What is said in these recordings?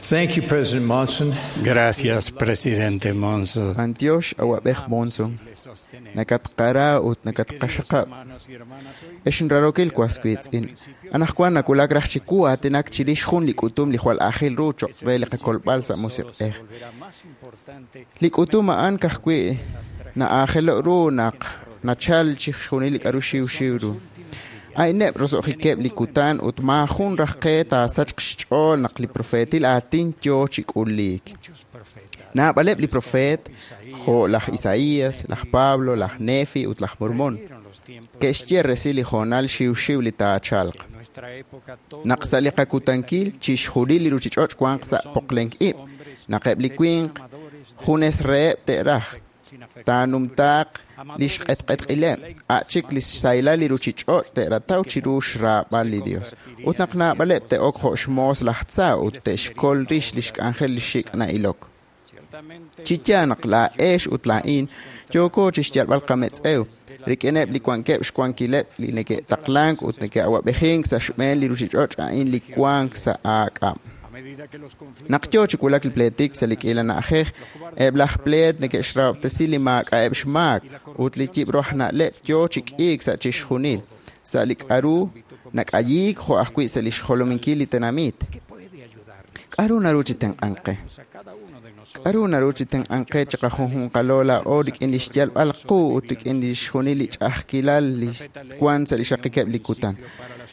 Thank you, President Monson. Gracias, presidente Monson. B'antiox awab'ej Monson. Nakatqara ut nakatqaxaqab'. Ex nrarookil was wiitz'in. Anaqwan nawulak raj chiwu aatinak chirix jun li k'utum li jwal aajel ru cho'q re li qakolb'al sa' musiq'ej. Li k'utum a'an ka'ajwi' na'aajelo' ru naq nachal chixjunil li k'a'ru xiwxiw ru. A'ineb' roso'jikeb' li kutan ut maajun raj qe taasachq xch'ool naq li profeetil aatin yoo chi k'uliik. Naab'aleb' li profeet, jo' laj Isaías, laj Pablo, laj Nefi ut laj Mormon, ke'xye resil li hoonal xiwxiw li taachalq. Naq sa' li qakutankil chixjunil li ruchich'och' wanq sa' poqlenk ib', naq eb' li winq junes reheb' te'raj, taanumtaaq li xq'etq'etq'ileb', a' chik li xsahilal li ruchich'och' te'rataw chiru xraab'al li Dios. Ut naq naab'aleb' te'ok jo' xmoos laj tza ut te'xkol rix li xk'anjel li xik' na'ilok. Chi yaal naq laa'ex ut laa'in yooko chixyalb'al qametz'ew rik'ineb' li wankeb' xwankileb' li neke'taqlank ut neke'awab'ejink sa' xb'een li ruchich'och' a'in li wank sa' aak'ab'. Naq yoo chi wulak li pleetik sa' li k'iila na'ajej, eb' laj pleet neke'xrahob'tesi li maak'a'eb' xmaak ut li yib'ru aj na'leb' yoo chi k'iik sa' chixjunil, sa' li k'a'ru nak'ayiik jo' ajwi' sa' li xjolominkil li tenamit. K'a'ru naru chi tenq'ank qe? K'a'ru naru chi tenq'ank qe chiqajunjunqalo laa'o rik'in li xyalb'al qu ut rik'in li xjunil li ch'a'ajkilal li wank sa' li xraqikeb' li kutan?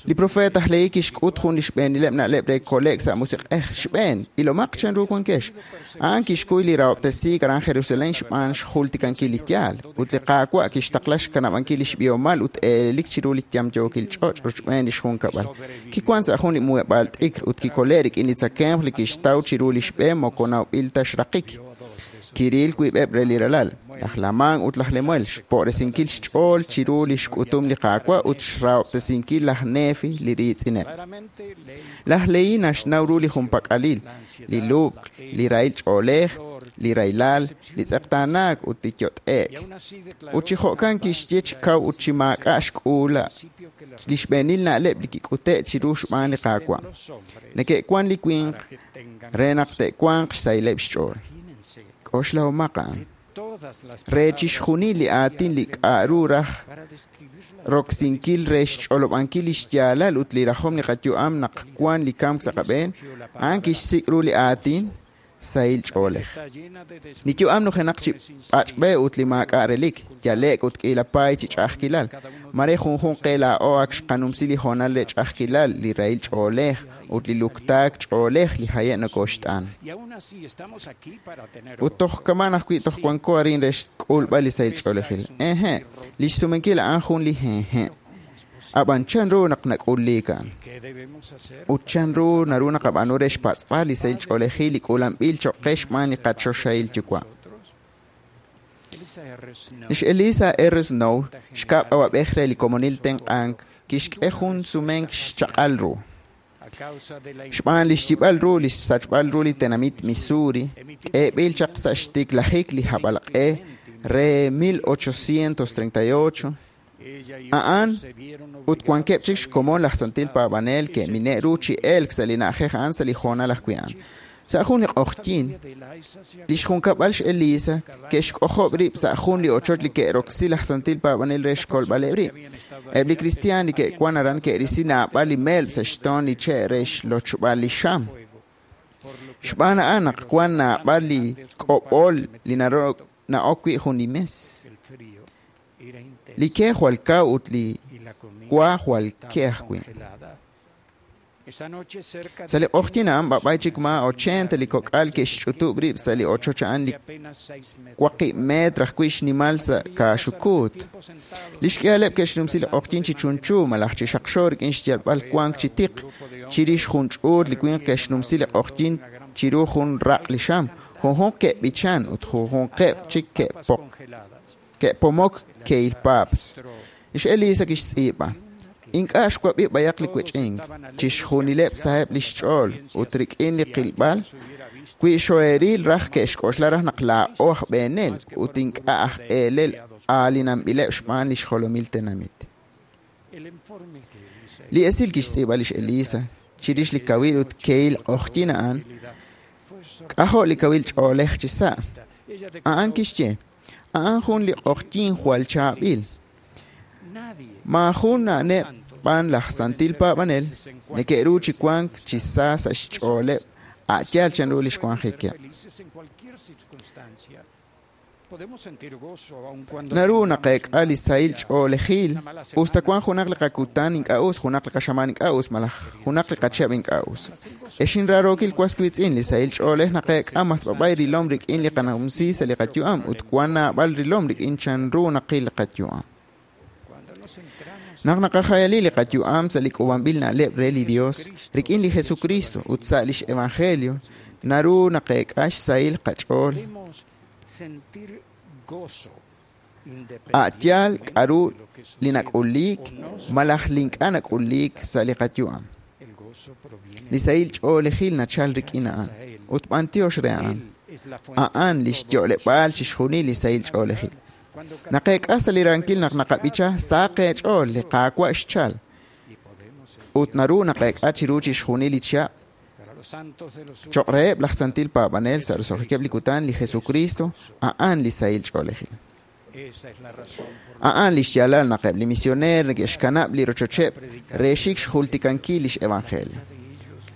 Li profeet aj Lehi kixk'ut jun li xb'eenileb' na'leb' re kole'k sa' musiq'ej. Xb'een, ilomaq chanru wankex. A'an kixkuy li rahob'tesiik aran Jerusalen xb'aan xjultikankil li yaal, ut li Qaawa' kixtaqla xkanab'ankil li xb'ihomal ut eelelik chiru li yamyookil ch'och' rochb'een li xjunkab'al. Kiwank sa' jun li muheb'aal t'ikr ut kikole' rik'in li tzakemq li kixtaw chiru li xb'e moko nawb'il ta xraqik. Kiril wiib'eb' re li ralal, laj Lamán ut laj Lemuel, xpo'resinkil xch'ool chiru li xk'utum li Qaawa' ut xrahob'tesinkil laj Nefi li riitz'ineb'. Laj Lehi naxnaw ru li junpak'alil, li lub'k, li rahil ch'oolej, li rahilal, li tz'eqtaanaak ut li yot'e'k. Ut chi jo'kan kixye chi kaw ut chi maak'a' xk'uula li xb'eenil na'leb' li kik'ute' chiru xb'aan li Qaawa'. Neke'wan li winq re naq te'wanq xsahileb' xch'ool. K'oxlahomaq a'an. Re chixjunil li aatin li k'a'ru raj roksinkil re xch'olob'ankil li xyaalal ut li rajom li qayu'am naq wan li kamk sa' qab'een, a'an kixsik' ru li aatin sahil ch'oolej. Li yu'am nujenaq chi pach'b'e ut li maak'a' relik, yale'k ut k'iila paay chi ch'a'ajkilal. Mare junjunq qe laa'o ak xqanumsi li hoonal re ch'a'ajkilal, li rahil ch'oolej ut li luktaak ch'oolej li haye' nokoxt'an. Ut toj kaman ajwi' toj wanko arin re xk'ulb'al li sahil ch'oolejil. Ehe', li xsumenkil a'an jun li hehe'. Ab'an chanru naq nak'uliik a'an? Ut chanru naru naqab'aanu re xpatz'b'al li sahil ch'oolejil li k'uulanb'il cho'q qe xb'aan li qachoxahil Yuwa'? Lix Elisa R. Snow, xkab' awab'ej re li komonil tenq'ank, kixk'e jun sumenk xchaq'al ru. Xb'aan li xyib'al ru li xsachb'al ru li tenamit Missouri, k'eeb'il chaq sa' xtiklajik li hab'alq'e re 1838, a'an ut wankeb' chik xkomon laj santil paab'anel ke'mine' ru chi elk sa' li na'ajej a'an sa' li hoonal ajwi' a'an. Sa' jun li q'oqyink, li xjunkab'al xElisa ke'xk'ojob' rib' sa' jun li ochoch li ke'roksi laj santil paab'anel re xkolb'aleb' rib'. Eb' li kristiaan li ke'wan aran ke'risi naab'al li melb' sa' xtoon li che' re xlochb'al li xam. Xb'aan a'an naq wan naab'al li k'ob'ol li na'ok wi' jun li mes. Li ke jwal kaw ut li wa jwal ke ajwi'. Sa' li q'oqyink a'an b'ab'ay chik maa 80 li kok'al ke'xch'utub' rib' sa' li ochoch a'an li 8 metr ajwi' xnimal sa' kaaxukuut. Li xk'ihaleb' ke'xnumsi li q'oqyink chi chunchu malaj chi xaqxo rik'in xyalb'al wank chi tiq. Chirix jun ch'uut li winq ke'xnumsi li q'oqyink chiru jun raq' li xam. Junjunq ke'b'ichan ut junjunqeb' chik ke'pomok kehil paaps. Lix Elisa kixtz'iib'a. Ink'a' xwab'i b'ayaq li wech'ink, chixjunileb' saheb' li xch'ool ut rik'in li qilb'al, wi xoeril raj ke'xk'oxla raj naq laa'o aj b'eenel ut ink'a' aj eelel aalinanb'ileb' xb'aan li xjolomil tenamit. Li esil kixtz'iib'a lix Elisa chirix li kawil ut kehil q'oqyink a'an, K'ajo' li kawil ch'oolej chi sa'. A'an kixye, a'an jun li q'oqyink jwal chaab'il. Maajun na'neb' b'an laj santil paab'anel neke'ru chi wank chi sa sa' xch'ooleb' a' yaal chanru li xwanjikeb'. Naru naqeek'a li sahil ch'oolejil us ta wank junaq li qakutan ink'a' us, junaq li qaxamaan ink'a' us, malaj junaq li qachihab' ink'a' us. Ex inraarookil was wiitz'in, li sahil ch'oolej naqeek'a mas b'ab'ay rilom rik'in li qanumsi sa' li qayu'am ut wan naab'al rilom rik'in chanru naqil li qayu'am. Naq naqajayali li qayu'am sa' li k'uub'anb'il na'leb' re li Dios rik'in li Jesucristo ut sa' lix evangelio, naru naqeek'a xsahil qach'ool. A' yaal k'a'ru li nak'uliik malaj li ink'a' nak'uliik sa' li qayu'am. Li sahil ch'oolejil nachal rik'in a'an ut b'antiox re a'an. A'an lix yo'leb'aal chixjunil li sahil ch'oolejil. Naqeek'a sa' li rankil naq naqab'icha sa qeech'ool li Qaawa' xchal ut naru naqeek'a chiru chixjunil li chihab'. Choq' reheb' laj santil paab'anel sa' roso'jikeb' li kutan, li Jesucristo a'an li sahil ch'oolejil. A'an lix yaalal naq eb' li misioneer neke'xkanab' li rochocheb' re xik xjultikankil lix evangelio.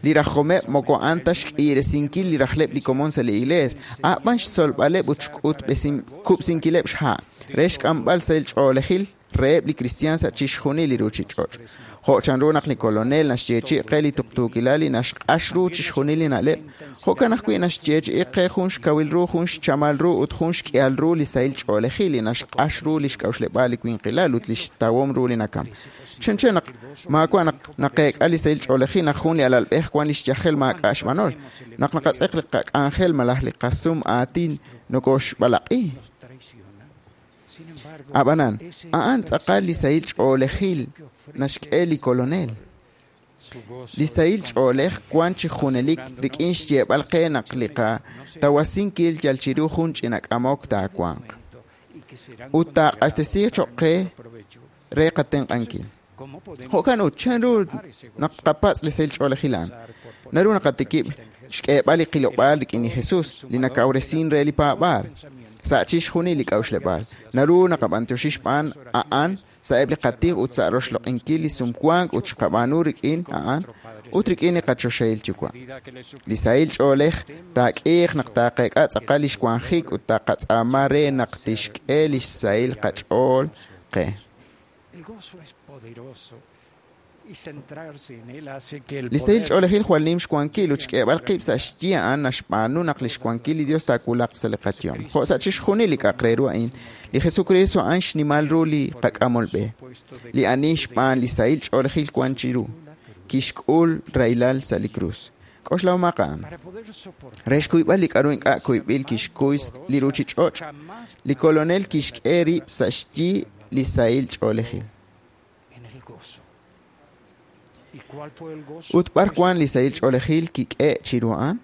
Li rajomeb' moko a'an ta xk'iresinkil li rajleb' li komon sa' li iglees, a'b'an xtzolb'aleb' ut xk'utb'esinkileb' xha' re xk'amb'al sahil ch'oolejil reheb' li kristiaan sa' chixjunil li ruchich'och'. Jo' chanru naq li kolonel naxyeechi'i qe li tuqtuukilal li naxq'ax ru chixjunil li na'leb', jo'kan ajwi' naxyeechi'i qe jun xkawil ru, jun xchamal ru ut jun xk'ihal ru li sahil ch'oolejil li naxq'ax ru li xk'a'uxleb'aal li winqilal ut li xtawom ru li nakam. Chanchan naq maawa' naq naqeek'a li sahil ch'oolejil naq jun li alalb'ej wan li xyajel maak'a' xb'anol, naq naqatz'eq li qak'anjel malaj li qasum aatin nokoxb'alaq'i. Ab'anan, a'an tz'aqal li sahil ch'oolejil naxk'e li kolonel. Li sahil ch'oolej wan chi junelik rik'in xyeeb'al qe naq li qatawasinkil yal chiru jun ch'ina k'amok taawanq. Ut taaq'axtesiiq choq' qe re qatenq'ankil. Jo'kan ut chanru naq qapatz' li sahil ch'oolejil a'an. Naru naqatikib' xk'eeb'al li qilob'aal rik'in li Jesus, li nakawresin re li paab'aal. Sa' chixjunil li k'a'uxleb'aal. Naru naqab'antioxi xb'aan a'an sa'eb' li qatij ut sa' roxloq'inkil li sumwank ut xqab'aanu rik'in a'an ut rik'in li qachoxahil yuwa'. Li sahil ch'oolej taak'iiq naq taaqeek'a tz'aqal li xwanjik ut taqatz'aama re naq tixk'e li xsahil qach'ool qe. Li sahil ch'oolejil jwal nim xwankil ut xk'eeb'al qib' sa' xyi a'an naxb'aanu naq li xwankil li Dios taawulaq sa' li qayu'am. Jo' sa' chixjunil li k'a'aq re ru a'in, li Jesucristo a'an xnimal ru li qak'amol b'e. Li ani xb'aan li sahil ch'oolejil wan chiru, kixk'ul rahilal sa' li krus. K'oxlahomaq a'an. Re xkuyb'al li k'a'ru ink'a' kuyb'il kixkuy li ruchich'och', li kolonel kixk'e rib' sa' xyi li sahil ch'oolejil. Ut b'ar wan li sahil ch'oolejil kik'e chiru a'an?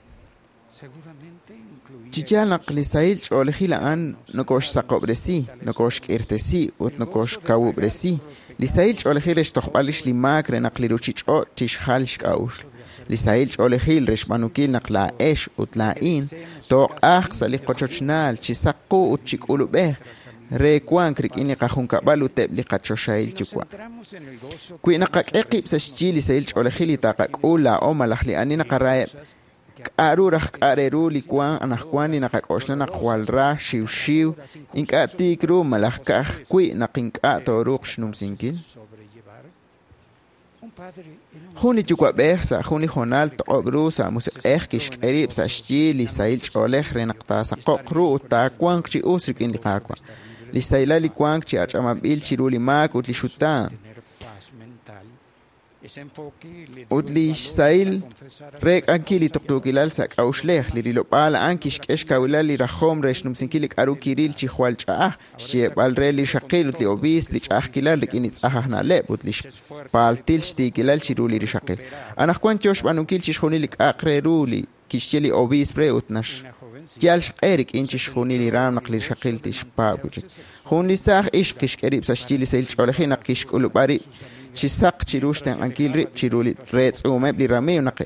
Chi yaal naq li sahil ch'oolejil a'an nokoxsaqob'resi, nokoxk'irtesi ut nokoxkawub'resi. Li sahil ch'oolejil re xtojb'al rix li maak re naq li ruchich'och' tixjal xk'a'uxl. Li sahil ch'oolejil re xb'aanunkil naq laa'ex ut laa'in tooq'ajq sa' li qochochnaal chi saq qu ut chi k'ulub'ej re wank rik'in li qajunkab'al ut eb' li qachoxahil yuwa'. Wi naqak'e qib' sa' xyi li sahil ch'oolejil li taqak'ul laa'o malaj li ani naqaraheb', k'a'ru raj k'a' re ru li wan anaqwan li naqak'oxla naq jwal ra xiwxiw, ink'a' tiik ru malaj ka'ajwi' naq ink'a' tooruuq xnumsinkil? Jun li yuwa'b'ej sa' jun li hoonal toq'ob' ru sa' musiq'ej kixk'e rib' sa' xyi li sahil ch'oolej re naq taasaqo'q ru ut taawanq chi us rik'in li Qaawa'. Li xsahilal li wank chi ach'ab'anb'il chiru li maak ut li xutaan. Ut li xsahil reek'ankil li tuqtuukilal sa' k'a'uxlej, li rilob'aal a'an kixk'e xkawilal li rajom re xnumsinkil li k'a'ru kiril chi jwal ch'a'aj, xyeeb'al re li xaqil ut li obiisp li ch'a'ajkilal rik'in li tz'aj aj na'leb' ut li xpaaltil xtiikilal chiru li rixaqil. Anaqwan yo xb'aanunkil chixjunil li k'a'aq re ru li kixye li obiisp re ut naxyal xq'e rik'in chixjunil li raam naq li rixaqil tixpaab' wi' chik. Jun li saaj ixq kixk'e rib' sa' xyi li sahil ch'oolejil naq kixk'ulub'a rib' chi saq chiru xtenq'ankil rib' chiru li reetz'uumeb' li ramiiw naq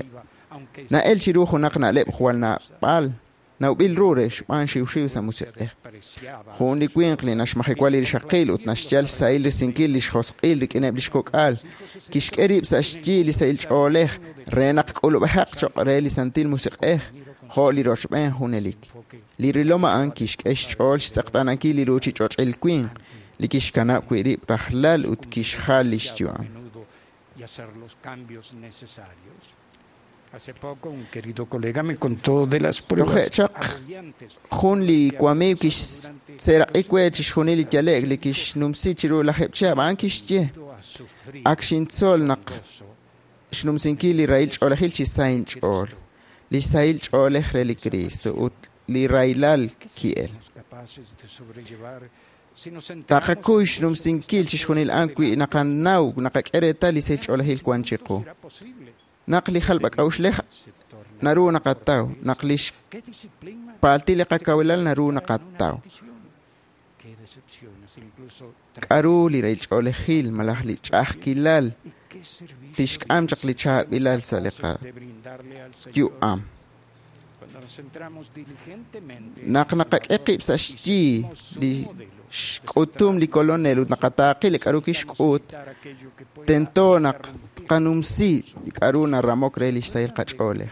Na'el chiru junaq na'leb' jwal naab'al nawb'il ru re xb'aan xiwxiw sa' musiq'ej. Jun li winq li naxmajewa li rixaqil ut naxyal xsahil risinkil li xjosq'il rik'ineb' li xkok'al, kixk'e rib' sa' xyi li sahil ch'oolej re naq k'ulub'ejaq cho'q re li Santil Musiq'ej jo' li rochb'een junelik. Li rilom a'an kixk'e xch'ool xtz'eqtaanankil li ruuchich'och'il winq li kixkanab' wi' rib' rajlal ut kixjal li xyu'am. Hace poco un querido colega me contó de las pruebas Toje' chaq agobiantes jun li wamiiw kixseeraq'i we chixjunil li yale'k li kixnumsi chiru lajeb' chihab' a'an kixye a sufrir ak xintzol naq gozo xnumsinkil li rahil ch'oolejil chi sa inch'ool, li sahil ch'oolej re li Cristo ut li rahilal ki'el. somos capaces de sobrellevar si nos centramos Taqakuy xnumsinkil chixjunil a'an wi naqanaw naqak'e reetal li sahil ch'oolejil wan chiqu. será posible Naq li jalb'ak'a'uxlej se torna naru naqataw, naq li qué disciplina xpaaltil li qakawilal naru naqataw. qué decepciones incluso K'aru li rahil ch'oolejil malaj li ch'a'ajkilal y qué servicio tixk'am chaq li chaab'ilal sa' li de brindarle al Señor qayu'am. cuando nos centramos diligentemente Naq naqak'e qib' sa' xyi li xk'utum li kolonel ut naqataaqi li k'aru kixk'ut, tento naq tqanumsi li k'aru naramok re li xsahil qach'oolej.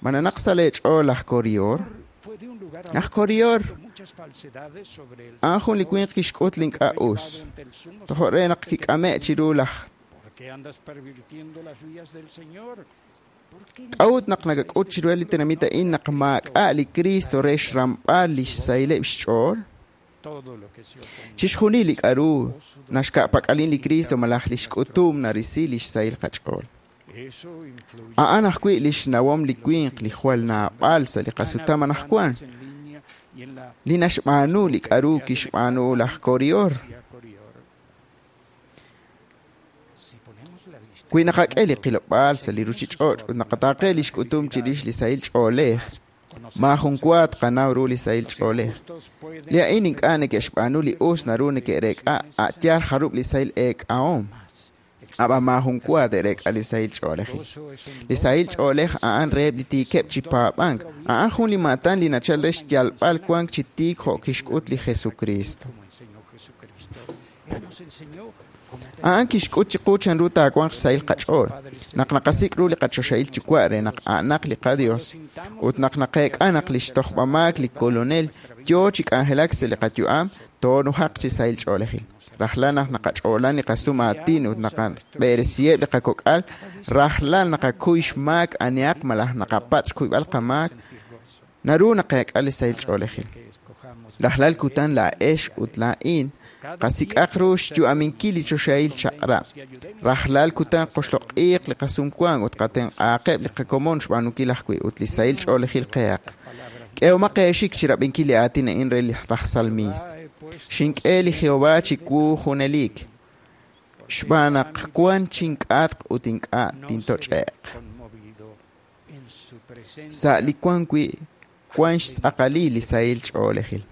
Ma nanaq sa' leech'ool laj Korior? fue de un lugar a Laj otro Korior muchas falsedades sobre el a'an jun li winq kixk'ut li ink'a' us. ante el sumo Tojo' re naq kik'ame' chiru laj ¿Por qué andas pervirtiendo las vías del Señor? ¿Por qué K'a'ut naq nakak'ut chiru li tenamit a'in naq maak'a' li Cristo re xramb'al li xsahileb' xch'ool? todo lo que se opone Chixjunil li k'aru naxka'pak'alin li Cristo malaj li xk'utum narisi li xsahil qach'ool. Eso influye A'an ajwi' li xnawom li winq li jwal naab'al sa' li qasutam anaqwan, en línea y en la li naxb'aanu li k'aru kixb'aanu laj Korior. vía Corior. Si ponemos la vista Wi naqak'e li qilob'aal sa' li ruuchich'och' ut naqataaqe li xk'utum chirix li sahil ch'oolej, maajun wa tqanaw ru li sahil ch'oolej. justos pueden Li a'in ink'a' neke'xb'aanu li us naru neke'reek'a a' yaal jarub' li sahil eek'ahom, ab'an maajun wa te'reek'a li sahil ch'oolejil. gozo es un Li sahil ch'oolej a'an reheb' li tiikeb' chi paab'ank, a'an jun li maatan li nachal re xyalb'al wank chi tiik jo' kixk'ut li Jesucristo. como enseñó Jesucristo. Él nos enseñó cómo A'an kixk'ut chiqu chanru taawanq xsahil qach'ool, naq naqasik' ru li qachoxahil yuwa' re naq a'anaq li qaDios, ut naq naqeek'a naq li xtojb'amaak li Kolonel yoo chi k'anjelak sa' li qayu'am, toonujaq chi sahil ch'oolejil. Rajlal naq naqach'oolan li qasum aatin ut naqab'eresiheb' li qakok'al, rajlal naqakuy xmaak anihaq malaj naqapatz' xkuyb'al qamaak, naru naqeek'a li sahil ch'oolejil. que escojamos Rajlal kutan laa'ex ut laa'in qasik'aq ru xyu'aminkil li choxahil chaq'rab'. Rajlal kutan qoxloq'iiq li qasumwank ut qatenq'aaqeb' li qakomon xb'aanunkil ajwi' ut li sahil ch'oolejil qehaq. K'ehomaq eexik chi rab'inkil li aatin a'in re li raj salmiist. Xink'e li Jehová chiwu junelik, xb'aan naq wan chink'atq ut ink'a' no tintoch'e'q. seré conmovido en su presencia. Sa' li wan wi' wan xtz'aqalil li sahil ch'oolejil.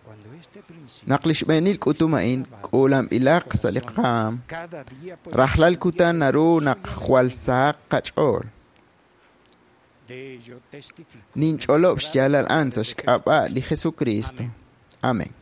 Cuando este principio Naq li xb'eenil k'utum a'in k'uulanb'ilaq sa' li qaam, cada día podemos rajlal kutan naru naq jwal sahaq qach'ool. de ello testifico. Ninch'olob' xyaalal a'an sa' xk'ab'a' li Jesucristo. Amén.